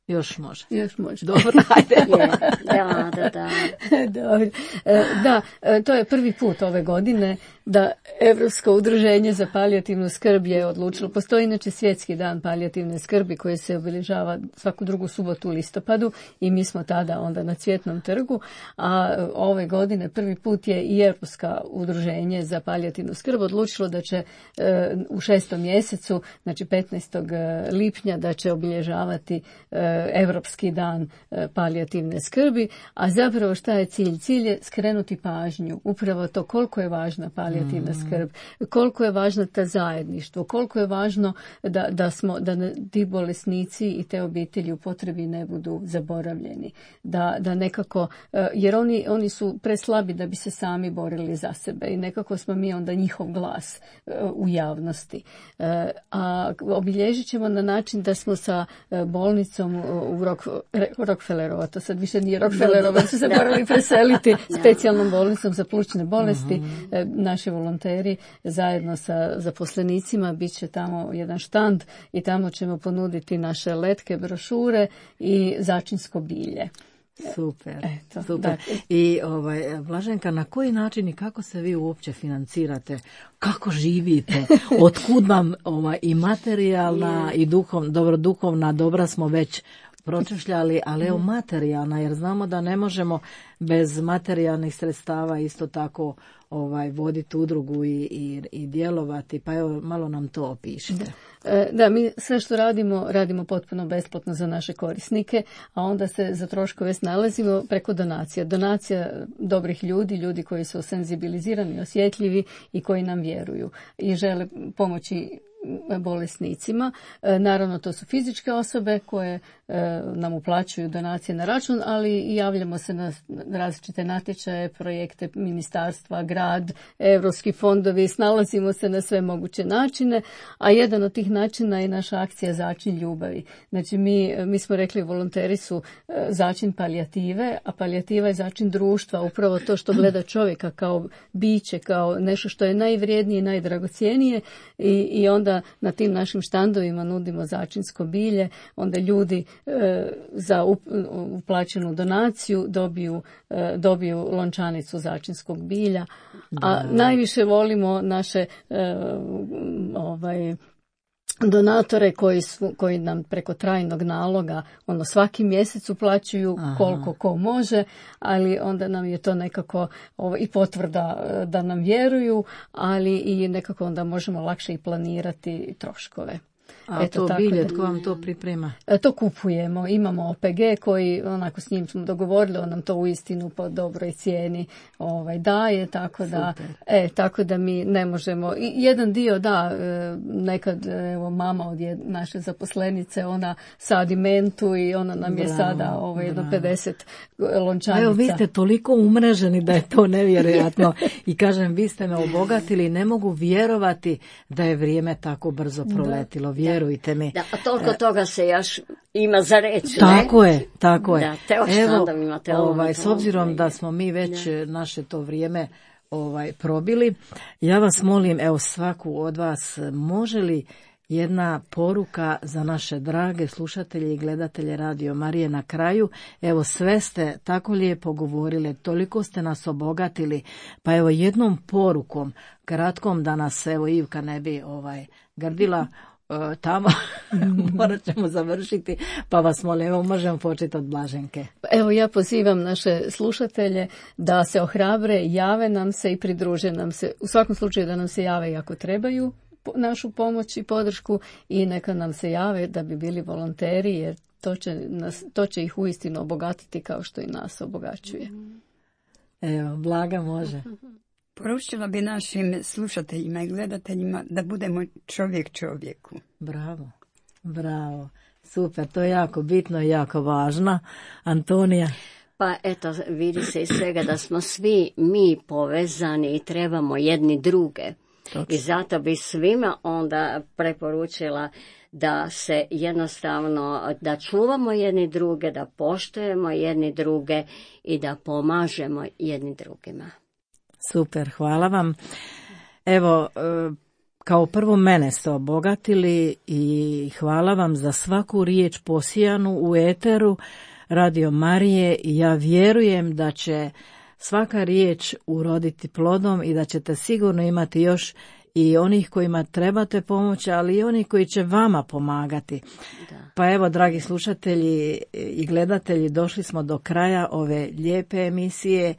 Još može. Još može. Dobro, ajde. Je, da, da, da. Da, to je prvi put ove godine da Europsko udruženje za palijativnu skrb je odlučilo. Postoji inače svjetski dan palijativne skrbi koji se obilježava svaku drugu subotu u listopadu i mi smo tada onda na Cvjetnom trgu, a ove godine prvi put je i Europsko udruženje za palijativnu skrb odlučilo da će u šestom mjesecu, znači petnaestog lipnja, da će obilježavati Europski dan palijativne skrbi, a zapravo šta je cilj? Cilj je skrenuti pažnju, upravo to koliko je važna palijativna mm. skrb, koliko je važno ta zajedništvo, koliko je važno da, da, smo, da ti bolesnici i te obitelji u potrebi ne budu zaboravljeni, da, da nekako, jer oni, oni su preslabi da bi se sami borili za sebe i nekako smo mi onda njihov glas u javnosti. A obilježit ćemo na način da smo sa bolnicom u Rock, Rockefellerova, to sad više nije Rockefellerova, su se morali preseliti, specijalnom bolnicom za plućne bolesti. Uh-huh. Naši volonteri zajedno sa zaposlenicima bit će tamo jedan štand i tamo ćemo ponuditi naše letke, brošure i začinsko bilje. Super, Eto, super. Da. I ovaj, Blaženka, na koji način i kako se vi uopće financirate? Kako živite? Otkud vam ovaj, i materijalna i duhov, dobro, duhovna dobra smo već pročešljali, ali evo materijalna, jer znamo da ne možemo bez materijalnih sredstava isto tako ovaj voditi udrugu i, i, i djelovati, pa evo malo nam to opišite. Da. Da, mi sve što radimo, radimo potpuno besplatno za naše korisnike, a onda se za troškove snalazimo preko donacija. Donacija dobrih ljudi, ljudi koji su senzibilizirani, osjetljivi i koji nam vjeruju i žele pomoći bolesnicima. Naravno, to su fizičke osobe koje nam uplaćuju donacije na račun, ali i javljamo se na različite natječaje, projekte ministarstva, grad, europski fondovi, snalazimo se na sve moguće načine, a jedan od tih načina je naša akcija Začin ljubavi. Znači, mi, mi smo rekli, volonteri su začin palijative, a palijativa je začin društva, upravo to što gleda čovjeka kao biće, kao nešto što je najvrijednije i najdragocjenije i, i onda na tim našim štandovima nudimo začinsko bilje, onda ljudi e, za uplaćenu donaciju dobiju, e, dobiju lončanicu začinskog bilja, a da. Najviše volimo naše e, ovaj donatore koji su, koji nam preko trajnog naloga ono svaki mjesec uplaćuju koliko ko može, ali onda nam je to nekako ovo, i potvrda da nam vjeruju, ali i nekako onda možemo lakše i planirati troškove. A Eto, to bilje, tko vam to priprema? To kupujemo. Imamo O P G koji, onako s njim smo dogovorili, on nam to uistinu po dobroj cijeni ovaj, daje, tako da, e, tako da mi ne možemo. I jedan dio, da, nekad, evo, mama od je, naše zaposlenice, ona sadi mentu i ona nam je bravo, sada ovaj, jedno pedeset lončanica. Evo, vi ste toliko umreženi da je to nevjerojatno. I kažem, vi ste me obogatili, ne mogu vjerovati da je vrijeme tako brzo proletilo. Da. Vjerujte mi. Da, a toliko toga se još ima za reći. Tako ne? je, tako je. Da, te Evo, imate ovaj, s obzirom da smo mi već ne. naše to vrijeme ovaj, probili, ja vas molim, evo svaku od vas, može li jedna poruka za naše drage slušatelje i gledatelje Radio Marije na kraju? Evo, sve ste tako lijepo govorili, toliko ste nas obogatili, pa evo jednom porukom, kratkom, da nas evo Ivka ne bi ovaj, grdila tamo, morat ćemo završiti, pa vas molim, evo možemo početi od Blaženke. Evo, ja pozivam naše slušatelje da se ohrabre, jave nam se i pridruže nam se, u svakom slučaju da nam se jave i ako trebaju našu pomoć i podršku i neka nam se jave da bi bili volonteri, jer to će, nas, to će ih uistinu obogatiti kao što i nas obogaćuje. Evo, Blaga može. Poručila bi našim slušateljima i gledateljima da budemo čovjek čovjeku. Bravo, bravo, super, to je jako bitno i jako važno. Antonija? Pa eto, vidi se iz svega da smo svi mi povezani i trebamo jedni druge. Točno. I zato bi svima onda preporučila da se jednostavno, da čuvamo jedni druge, da poštujemo jedni druge i da pomažemo jedni drugima. Super, hvala vam. Evo, kao prvo mene ste obogatili i hvala vam za svaku riječ posijanu u eteru Radio Marije i ja vjerujem da će svaka riječ uroditi plodom i da ćete sigurno imati još i onih kojima trebate pomoći, ali i oni koji će vama pomagati. Da. Pa evo, dragi slušatelji i gledatelji, došli smo do kraja ove lijepe emisije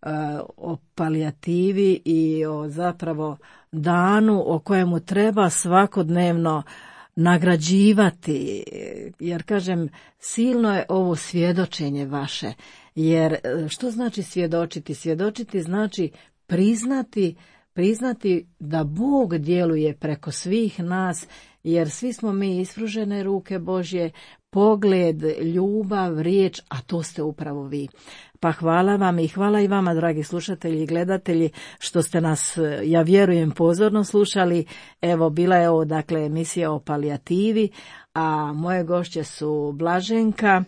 uh, o palijativi i o zapravo danu o kojemu treba svakodnevno nagrađivati, jer kažem, silno je ovo svjedočenje vaše, jer što znači svjedočiti? Svjedočiti znači priznati, priznati da Bog djeluje preko svih nas, jer svi smo mi ispružene ruke Božje, pogled, ljubav, riječ, a to ste upravo vi. Pa hvala vam i hvala i vama, dragi slušatelji i gledatelji, što ste nas, ja vjerujem, pozorno slušali. Evo, bila je ovo, dakle, emisija o palijativi, a moje gošće su Blaženka,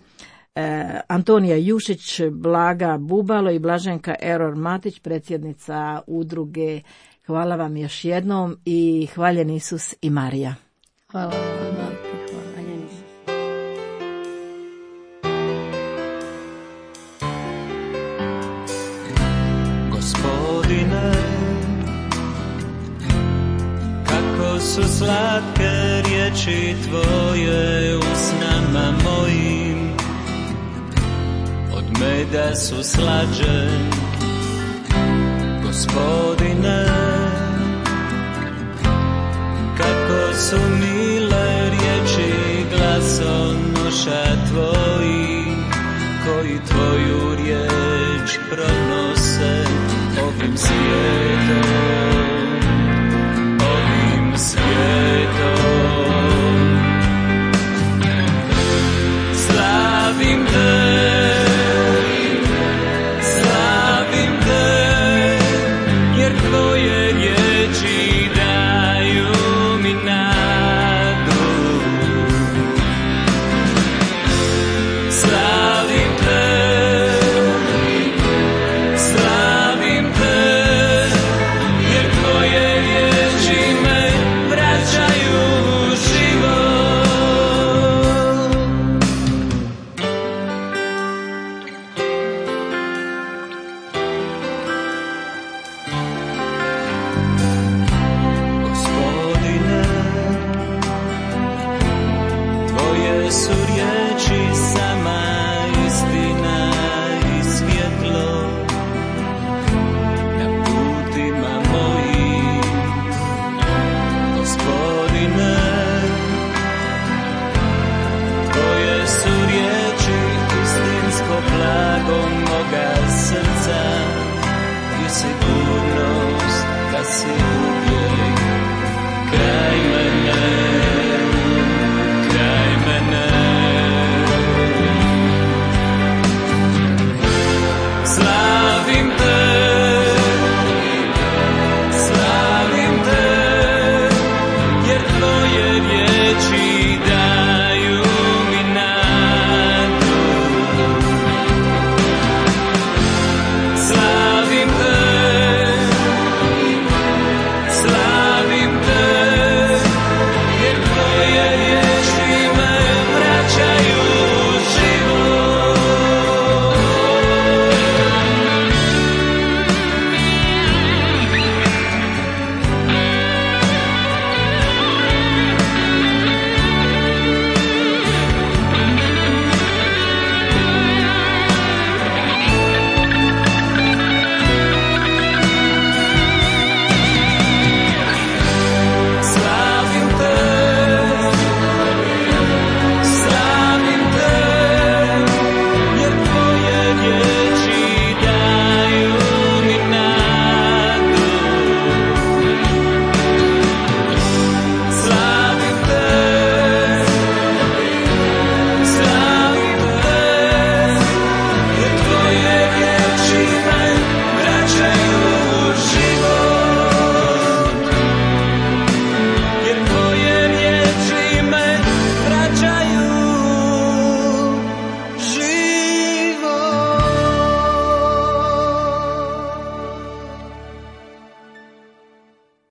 eh, Antonija Jušić, Blaga Bubalo i Blaženka Eror Matić, predsjednica udruge. Hvala vam još jednom i hvaljen Isus i Marija. Hvala vam. Gospodine, kako su slatke riječi tvoje usnama mojim, od meda su slađe. Gospodine, kako su mile riječi glasonoša tvoji, koji tvoju riječ pronose ovim svijetom, ovim svijetom. Slavim te, slavim te, jer tvoje riječi daju mi nadu. Slavim te, sigurnost da si